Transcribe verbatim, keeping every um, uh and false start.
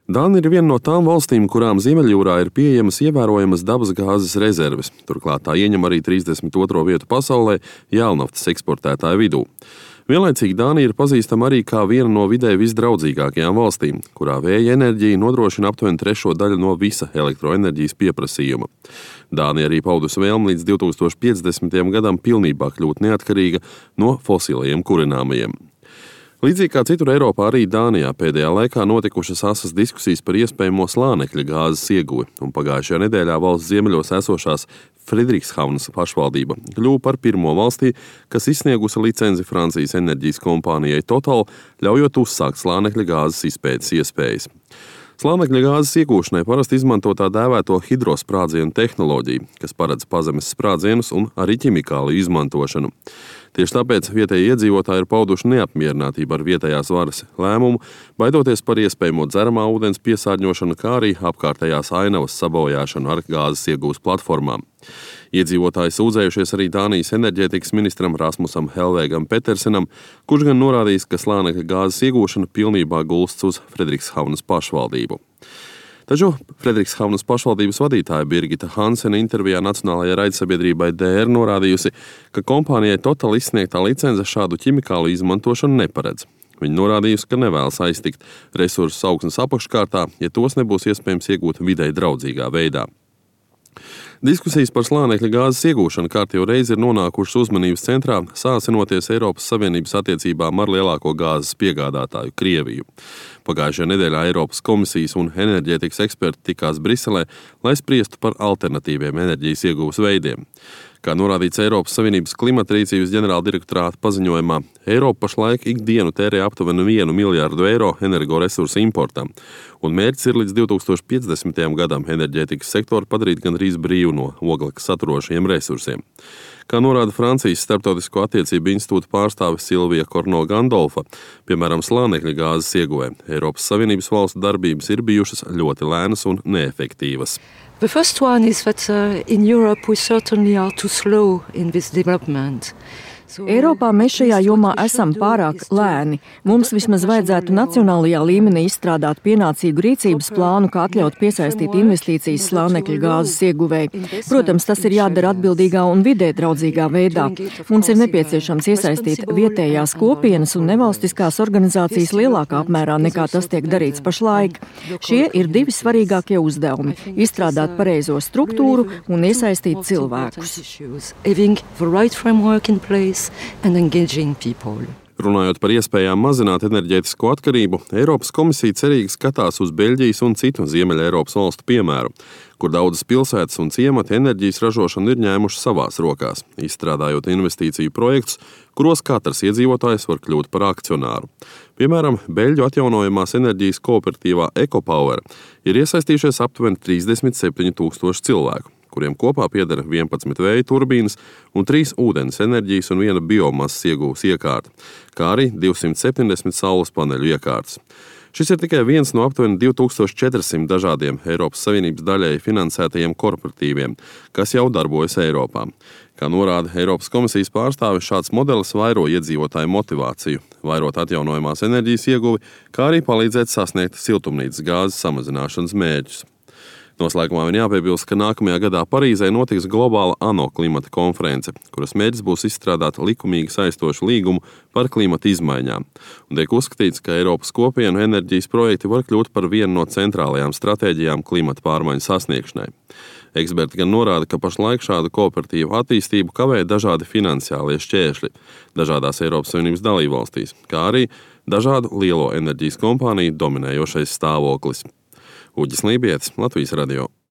Dānija ir viena no tām valstīm, kurām Ziemeļjūrā ir pieejamas ievērojamas dabasgāzes rezerves. Turklāt tā ieņem arī trīsdesmit otro vietu pasaulē jēlnaftas eksportētāju vidū. Vienlaicīgi Dānija ir pazīstama arī kā viena no videi visdraudzīgākajām valstīm, kurā vēja enerģija nodrošina aptuveni trešo daļu no visa elektroenerģijas pieprasījuma. Dānija arī paudusi vēlmi līdz divi tūkstoši piecdesmitajam gadam pilnībā kļūt neatkarīga no fosilajiem kurināmajiem. Līdzīgi kā citur Eiropā, arī Dānijā pēdējā laikā notikušas asas diskusijas par iespējamo slānekļa gāzes ieguvi, un pagājušajā nedēļā valsts ziemeļos esošās Frederikshavnas pašvaldība kļuva par pirmo valstī, kas izsniegusi licenci Francijas enerģijas kompānijai Total, ļaujot uzsākt slānekļa gāzes izpētes iespējas. Slānekļa gāzes iegūšanai parasti izmanto tā dēvēto hidrosprādzienu tehnoloģiju, kas paredz pazemes sprādzienus un arī ķimikālu izmantošanu. Tieši tāpēc vietējie iedzīvotāji ir pauduši neapmierinātību ar vietējās varas lēmumu, baidoties par iespējamo dzeramā ūdens piesārņošanu, kā arī apkārtējās ainavas sabojāšanu ar gāzes iegūs platformām. Iedzīvotāji sūdzējušies arī Dānijas enerģētikas ministram Rasmusam Helvēgam Petersenam, kurš gan norādījis, ka slānekļa gāzes iegūšana pilnībā gulsts uz Frederikshavnas pašvaldību. Taču Frederikshavnas pašvaldības vadītāja Birgita Hansena intervijā nacionālajai raidsabiedrībai D R norādījusi, ka kompānijai Total izsniegtā licence šādu ķimikālu izmantošanu neparedz. Viņa norādījusi, ka nevēlas aiztikt resursus augsnes apakškārtā, ja tos nebūs iespējams iegūt videi draudzīgā veidā. Diskusijas par slānekļa gāzes iegūšanu kārtējo reizi ir nonākušas uzmanības centrā, sāsinoties Eiropas Savienības attiecībām ar lielāko gāzes piegādātāju Krieviju. Pagājušajā nedēļā Eiropas komisijas un enerģētikas eksperti tikās Briselē, lai spriestu par alternatīviem enerģijas ieguves veidiem. Kā norādīts Eiropas Savienības klimata rīcības ģenerāla direktorāta paziņojumā, Eiropa pašlaik ikdienu tērē aptuveni vienu miljārdu eiro energoresursu importam, un mērķis ir līdz divi tūkstoši piecdesmitajam gadam enerģētikas sektoru padarīt gandrīz brīvu no oglekļa saturošajiem resursiem. Kā norāda Francijas Starptautisko attiecību institūta pārstāve Silvija Korno-Gandolfa, piemēram, slānekļa gāzes ieguvē, Eiropas Savienības valstu darbības ir bijušas ļoti lēnas un neefektīvas. The first one is that uh, in Europe we certainly are too slow in this development. Eiropā mēs šajā jomā esam pārāk lēni. Mums vismaz vajadzētu nacionālajā līmenī izstrādāt pienācīgu rīcības plānu, kā atļaut piesaistīt investīcijas slānekļa gāzes ieguvēji. Protams, tas ir jādara atbildīgā un vidē draudzīgā veidā. Mums ir nepieciešams iesaistīt vietējās kopienas un nevalstiskās organizācijas lielākā apmērā nekā tas tiek darīts pašlaik. Šie ir divi svarīgākie uzdevumi – izstrādāt pareizo struktūru un iesaistīt cilvēkus. And engaging people. Runājot par iespējām mazināt enerģētisko atkarību, Eiropas komisija cerīgi skatās uz Beļģijas un citu Ziemeļa Eiropas valstu piemēru, kur daudzas pilsētas un ciemati enerģijas ražošanu ir ņēmuši savās rokās, izstrādājot investīciju projektus, kuros katrs iedzīvotājs var kļūt par akcionāru. Piemēram, Beļģu atjaunojamās enerģijas kooperatīvā EcoPower ir iesaistījušies aptuveni trīsdesmit septiņi tūkstoši cilvēku, kuriem kopā pieder vienpadsmit vēja turbīnas un trīs ūdens enerģijas un viena biomasas iegūves iekārta, kā arī divsimt septiņdesmit saules paneļu iekārtas. Šis ir tikai viens no aptuveni divi tūkstoši četrsimt dažādiem Eiropas Savienības daļēji finansētajiem korporatīviem, kas jau darbojas Eiropā. Kā norāda Eiropas komisijas pārstāve, šāds modelis vairo iedzīvotāju motivāciju, vairot atjaunojamās enerģijas ieguvi, kā arī palīdzēt sasniegt siltumnīcas gāzes samazināšanas mērķus. Noslēgumā vien jāpiebilst, ka nākamajā gadā Parīzē notiks globāla ANO klimata konference, kuras mērķis būs izstrādāt likumīgi saistošu līgumu par klimata izmaiņām. Un tiek uzskatīts, ka Eiropas kopienu enerģijas projekti var kļūt par vienu no centrālajām stratēģijām klimata pārmaiņu sasniegšanai. Eksperti gan norāda, ka pašlaik šādu kooperatīvu attīstību kavē dažādi finansiālie šķēršļi dažādās Eiropas Savienības dalībvalstīs, kā arī dažādu lielo enerģijas kompāniju dominējošais stāvoklis. Uģis Lībietis, Latvijas radio.